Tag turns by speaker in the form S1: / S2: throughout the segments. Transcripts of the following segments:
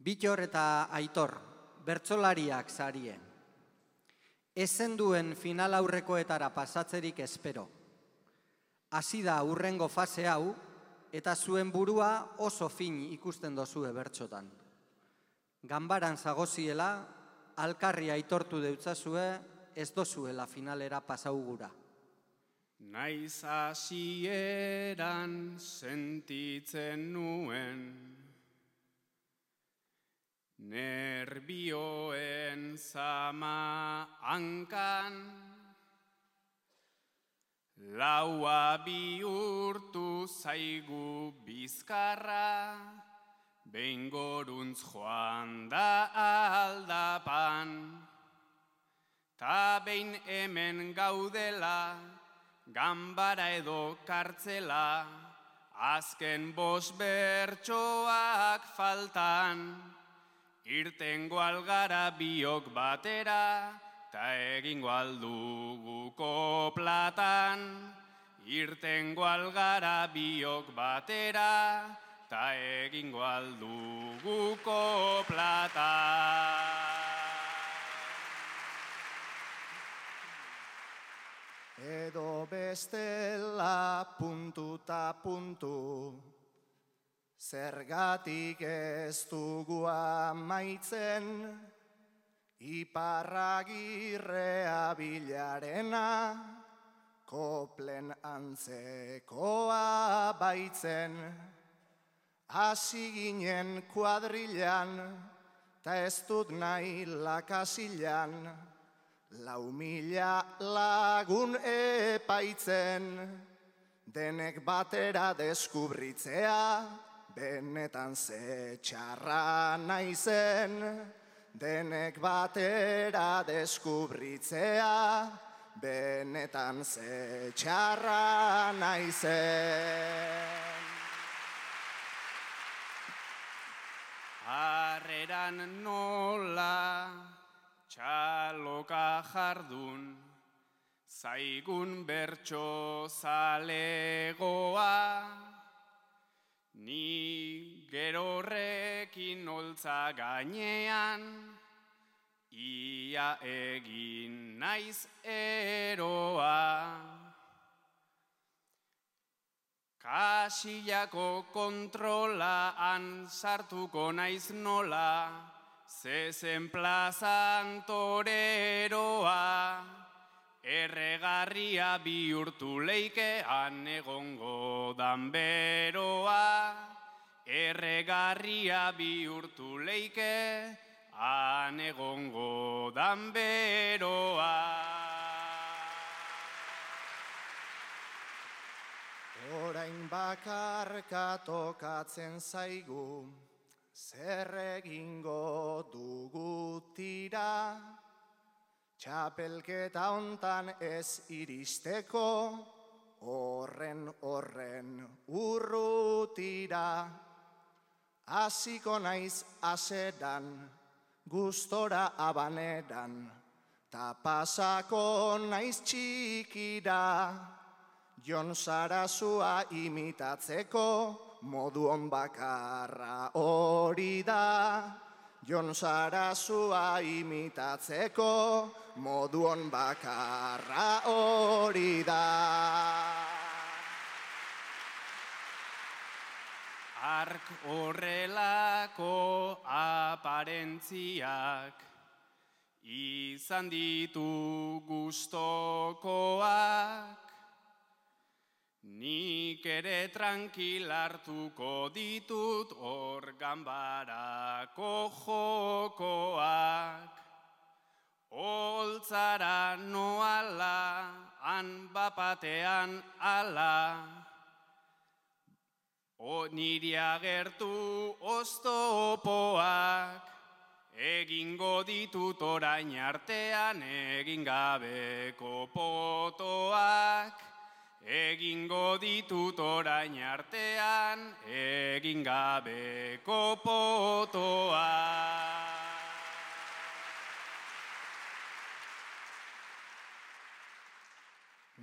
S1: Bittor eta Aitor, bertsolariak sarie. Ezen duen final aurrekoetara pasatzerik espero. Hasi da hurrengo fase hau, eta zuen burua oso fin ikusten dozue bertsotan. Ganbaran zagoziela, alkarri aitortu deutzazue, ez dozuela finalera pasaugura.
S2: Naiz hasieran sentitzen nuen, nerbioen zama hankan, laua bihurtu zaigu bizkarra, behin goruntz joan da aldapan, ta behin hemen gaudela, ganbara edo kartzela, azken 5 bertsoak faltan, irtengo algara biok batera, ta egingo aldugu koplatan. Irtengo algara biok batera, ta egingo aldugu koplatan.
S3: Edo bestela puntu ta puntu, zergatik ez dugu amaitzen, Iparragirrea bilarena, koplen antzekoa baitzen, hasi ginen kuadrilan, ta ez dut nahi lakasilan, 4.000 lagun epaitzen, denek batera deskubritzea, benetan ze txarra naizen, denek batera deskubritzea, benetan ze txarra naizen.
S2: Harreran nola txaloka jardun, zaigun bertso zalegoa, ni gerorrekin holtza gainean, ia egin naiz eroa. Kasillako kontrolaan sartuko naiz nola, zezen plazan toreroa, erregarria bihurtu leike han egongo dan beroa, erregarria bihurtu leike han egongo dan beroa.
S3: Orain bakarka tokatzen zaigu, zer egingo dugu tira, txapelketa hontan ez iristeko, horren urrutira. Hasiko naiz asedan, gustora abaneran, ta pasako naiz txikira, Jon Sarasua imitatzeko, moduon bakarra hori da. Jon Sarasua imitatzeko, moduon bakarra hori da.
S2: Ark horrelako aparentziak izan ditu gustokoak, nik ere tranquil hartuko ditut hor ganbarako jokoak. Holtzara noala, han bapatean ala, niri agertu oztopoak, egingo ditut orain artean egin gabeko potoak. Egingo ditut orain artean, egin gabeko potoa.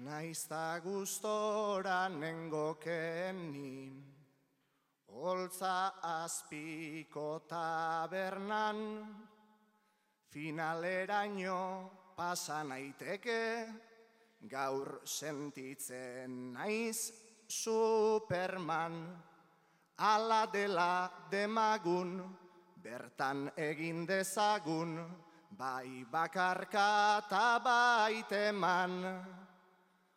S3: Naizta gustora nengoken ni, Holtza azpiko tabernan, finaleraino pasa naiteke, gaur sentitzen naiz Superman. Ala dela demagun, bertan egin dezagun, bai bakarka eta bai teman.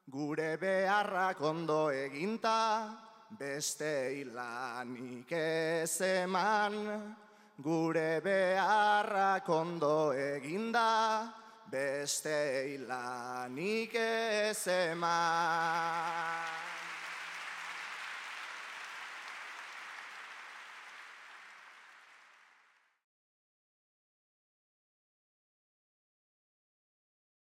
S3: Gure beharrak ondo eginta, beste lanik ez eman. Gure beharrak ondo eginda, beste lanik ez eman.